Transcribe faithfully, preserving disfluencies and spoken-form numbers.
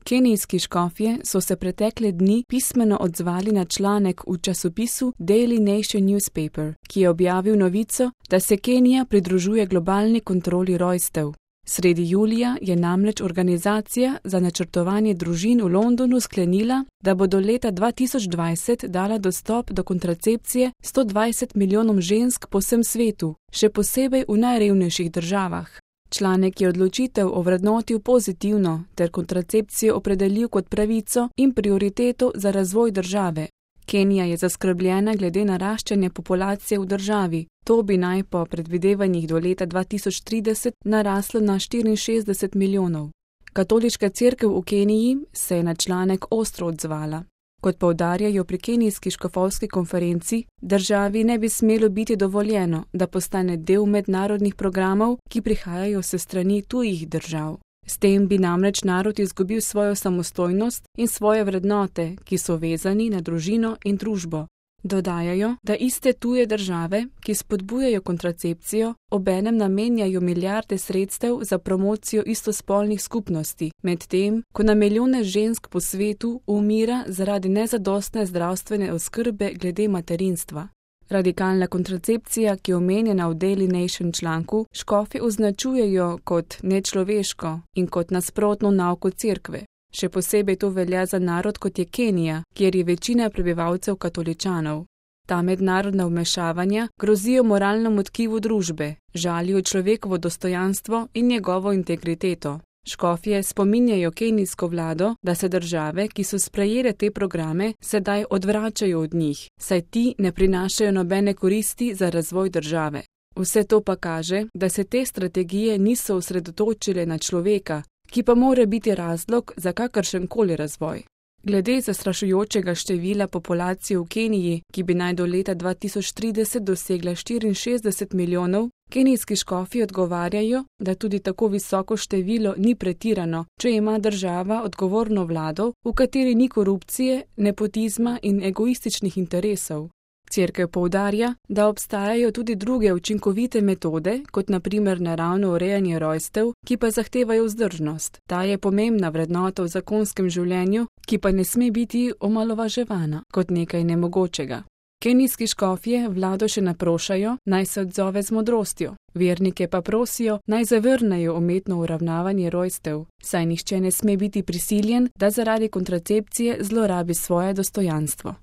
Kenijski škofje so se pretekle dni pismeno odzvali na članek v časopisu Daily Nation Newspaper, ki je objavil novico, da se Kenija pridružuje globalni kontroli rojstev. Sredi julija je namreč Organizacija za načrtovanje družin v Londonu sklenila, da bo do leta dva tisoč dvajset dala dostop do kontracepcije sto dvajset milijonom žensk po vsem svetu, še posebej v najrevnejših državah. Članek je odločitev ovrednotil pozitivno ter kontracepcijo opredelil kot pravico in prioriteto za razvoj države. Kenija je zaskrbljena glede naraščanja populacije v državi. To bi naj po predvidevanjih do leta dva tisoč trideset naraslo na štiriinšestdeset milijonov. Katoliška cerkev v Keniji se je na članek ostro odzvala. Kot poudarjajo pri kenijski škofovski konferenci, državi ne bi smelo biti dovoljeno, da postane del mednarodnih programov, ki prihajajo s strani tujih držav. S tem bi namreč narod izgubil svojo samostojnost in svoje vrednote, ki so vezani na družino in družbo. Dodajajo, da iste tuje države, ki spodbujajo kontracepcijo, obenem namenjajo milijarde sredstev za promocijo istospolnih skupnosti, medtem ko na milijone žensk po svetu umira zaradi nezadostne zdravstvene oskrbe glede materinstva. Radikalna kontracepcija, ki je omenjena v Daily Nation članku, škofi označujejo kot nečloveško in kot nasprotno nauko cerkve. Še posebej to velja za narod kot je Kenija, kjer je večina prebivalcev katoličanov. Ta mednarodna vmešavanja grozijo moralnemu tkivu družbe, žalijo človekovo dostojanstvo in njegovo integriteto. Škofje spominjajo kenijsko vlado, da se države, ki so sprejele te programe, sedaj odvračajo od njih, saj ti ne prinašajo nobene koristi za razvoj države. Vse to pa kaže, da se te strategije niso osredotočile na človeka, ki pa mora biti razlog za kakršenkoli razvoj. Glede zastrašujočega števila populacije v Keniji, ki bi naj do leta dva tisoč trideset dosegla štiriinšestdeset milijonov, kenijski škofi odgovarjajo, da tudi tako visoko število ni pretirano, če ima država odgovorno vlado, v kateri ni korupcije, nepotizma in egoističnih interesov. Cerkev poudarja, da obstajajo tudi druge učinkovite metode, kot na primer naravno urejanje rojstev, ki pa zahtevajo vzdržnost. Ta je pomembna vrednota v zakonskem življenju, ki pa ne sme biti omalovaževana kot nekaj nemogočega. Kenijski škofje vlado še naprošajo, naj se odzove z modrostjo. Vernike pa prosijo, naj zavrnejo umetno uravnavanje rojstev, saj nihče ne sme biti prisiljen, da zaradi kontracepcije zlorabi svoje dostojanstvo.